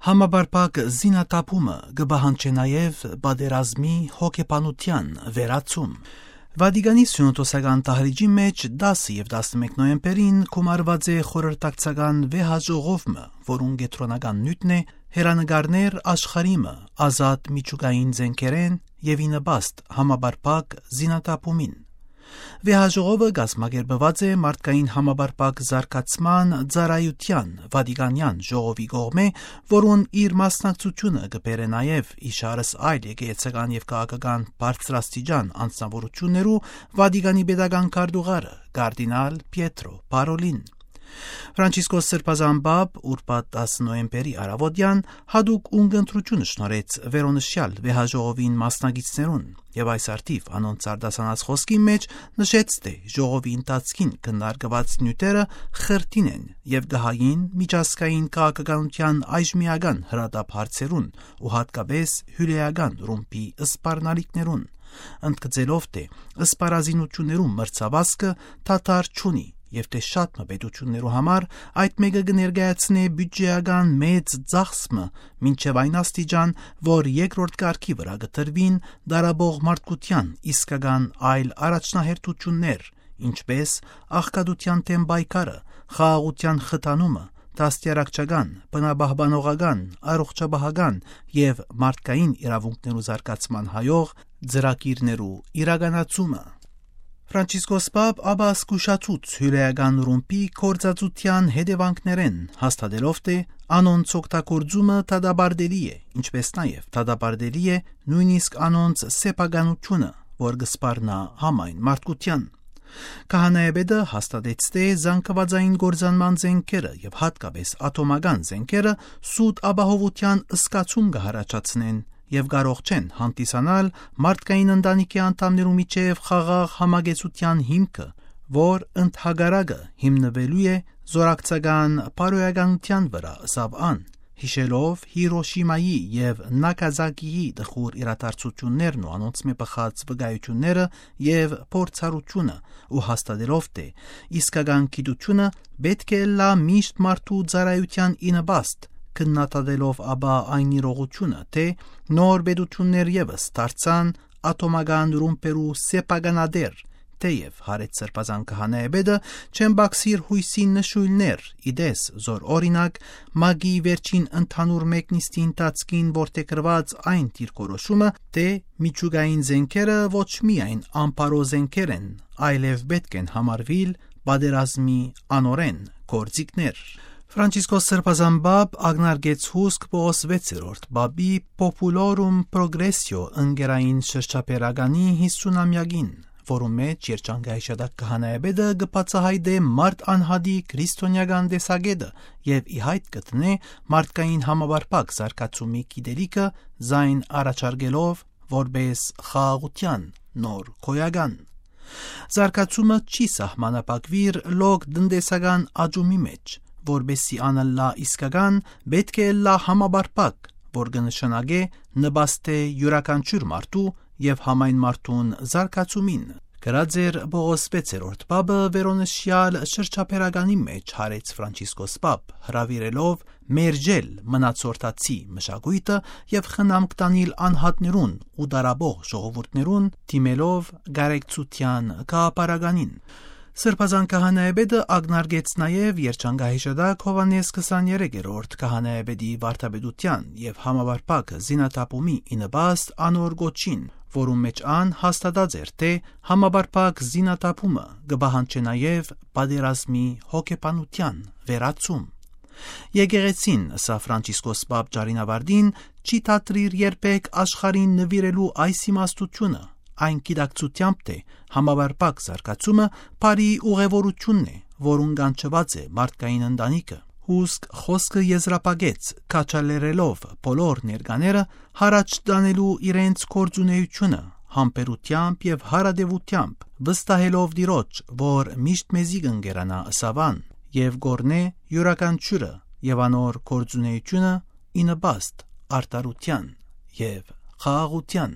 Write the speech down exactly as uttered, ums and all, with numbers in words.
Համապարփակ զինաթափումը կը պահանջէ նաեւ պատերազմի հոգեբանութեան վերացում։ Վատիկանի սիւնոդոսական դահլիճի մէջ դասը եւ տասնմէկ նոյեմբերին գումարուած է խորհրդակցական վեհաժողով մը, որուն կեդրոնական նիւթն է հերանեկարներ աշխարհի մը ազատ միջուկային զէնքերէն եւ ի նպաստ համապարփակ զինաթափումին։ Վեհաժողովը կազմակերպուած է մարդկային համապարփակ զարգացման ծառայութեան Վատիկանեան ժողովի կողմէ, որուն իր մասնակցութիւնը կը բերէ նաեւ իշարս այլ եկեղեցական եւ քաղաքական բարձրաստիճան անձնաւորութիւններու Վատիկանի պետական քարտուղարը, կարդինալ Պիեթրո Փարոլին։ Ֆրանցիսկոս Սրբազան Պապ ուրբաթ տասը նոյեմբերի առաւոտեան յատուկ ունկնդրութիւն շնորհեց վերոնշեալ վեհաժողովին մասնակիցներուն եւ այս առթիւ անոնց արտասանած խօսքին մէջ նշեց, թէ ժողովի ընթացքին քննարկուած նիւթերը խրթին են եւ կը հային միջազգային քաղաքականութեան այժմիական հրատապ հարցերուն ու յատկապէս հիւլէական ռումբի սպառնալիքներուն, ընդգծելով, թէ սպառազինութիւններու մրցավազքը դադար չունի եւ թէ շատ մը պետութիւններու համար այդ մէկը կը ներկայացնէ բիւտժէական մեծ ծախս մը, մինչեւ այն աստիճան, որ երկրորդ կարգի վրայ կը տրուին դարաբող մարդկութեան իսկական այլ առաջնահերթութիւններ, ինչպէս աղքատութեան դէմ պայքարը, խաղաղութեան խթանումը, դաստիարակչական, բնապահպանողական, առողջապահական եւ մարդկային իրաւունքներու զարգացման հայող ծրագիրներու իրականացումը։ Ֆրանցիսկոս Պապ ապա զգուշացուց հիւլէական ռումբի գործածութեան հետեւանքներէն, հաստատելով, թէ անոնց օգտագործումը դատապարտելի է, ինչպէս նաեւ դատապարտելի է նոյնիսկ անոնց սեփականութիւնը, որ կը սպառնայ համայն մարդկութեան։ Քահանայապետը հաստատեց, թէ զանգուածային կործանման զէնքերը եւ յատկապէս ատոմական զէնքերը սուտ ապահովութեան զգացում կը յառաջացնեն եւ կարող չեն հանդիսանալ մարդկային ընտանիքի անդամներու միջեւ խաղաղ համակեցութեան հիմքը, որ ընդհակառակը հիմնուելու է զօրակցական բարոյականութեան վրայ, ըսաւ ան, յիշելով Հիրոշիմայի եւ Նագասակիի տխուր իրադարձութիւններն ու անոնցմէ բխած վկայութիւնները եւ փորձառութիւնը ու հաստատելով, թէ իսկական գիտութիւնը պէտք է ըլլայ միշտ մարդու ծառայութեան ի նպաստ, քննադատելով ապա այն իրողութիւնը, թէ նոր պետութիւններ եւս դարձան ատոմական ռումբերու սեփականատեր, թէեւ, յարեց Սրբազան քահանայապետը, չեն պակսիր յոյսի նշոյլներ, ի տես, զոր օրինակ, ՄԱԿ-ի վերջին ընդհանուր մեկնիստի ընթացքին որդեգրուած այն դիրքորոշումը, թէ միջուկային զէնքերը ոչ միայն անբարոյ զէնքեր են, այլեւ պէտք են համարուիլ պատերազմի անօրէն գործիքներ։ Ֆրանցիսկոս Սրբազան Պապ ակնարկեց հուսկ Պողոս վեցերորդ Պապի Populorum Progressio ընկերային շրջաբերականի յիսունամեակին, որու մէջ երջանկայիշատակ քահանայապետը կը բացայայտէ մարդ անհատի քրիստոնեական տեսակէտը եւ ի յայտ կը դնէ մարդկային համապարփակ զարգացումի գիտելիքը զայն առաջարկելով որպէս խաղաղութեան նոր գոյական։ Զարգացումը չի սահմանափակուիր լոկ տնտեսական աճումի մէջ, որպէսզի ան ըլլայ իսկական, պէտք է ըլլայ համապարփակ, որ կը նշանակէ նպաստէ իւրաքանչիւր մարդու եւ համայն մարդուն զարգացումին, գրած էր Պողոս վեցերորդ Պապը վերոնշեալ շրջաբերականի մէջ, յարեց Ֆրանցիսկոս Պապ, հրաւիրելով մերժել մնացորդացի մշակոյթը եւ խնամք տանիլ անհատներուն ու դարաբող ժողովուրդներուն, դիմելով գարեկցութեան գաղափարականին։ Սրբազան քահանայապետը ակնարկեց նաեւ երջանկահիշատակ Յովհաննէս քսաներեքերորդ քահանայապետի վարդապետութեան եւ համապարփակ զինաթափումի ի նպաստ անոր կոչին, որուն մէջ ան հաստատած էր, թէ համապարփակ զինաթափումը կը պահանջէ նաեւ պատերազմի հոգեբանութեան վերացում։ Եկեղեցին, ըսաւ Ֆրանցիսկոս Պապ ճառին աւարտին, չի դադրիր երբեք աշխարհին նուիրելու այս իմաստութիւնը, այն գիտակցութեամբ, թէ համապարփակ զարգացումը բարի ուղեւորութիւնն է, որուն կանչուած է մարդկային ընտանիքը։ Հուսկ խօսքը եզրափակեց, քաջալերելով բոլոր ներկաները յառաջ տանելու իրենց գործունեութիւնը, համբերութեամբ եւ յարատեւութեամբ, վստահելով Տիրոջ, որ միշտ մեզի կ'ընկերանայ, ըսաւ ան, եւ կ'օրհնէ իւրաքանչիւրը եւ անոր գործունեութիւնը ի նպաստ արդարութեան եւ խաղաղութեան։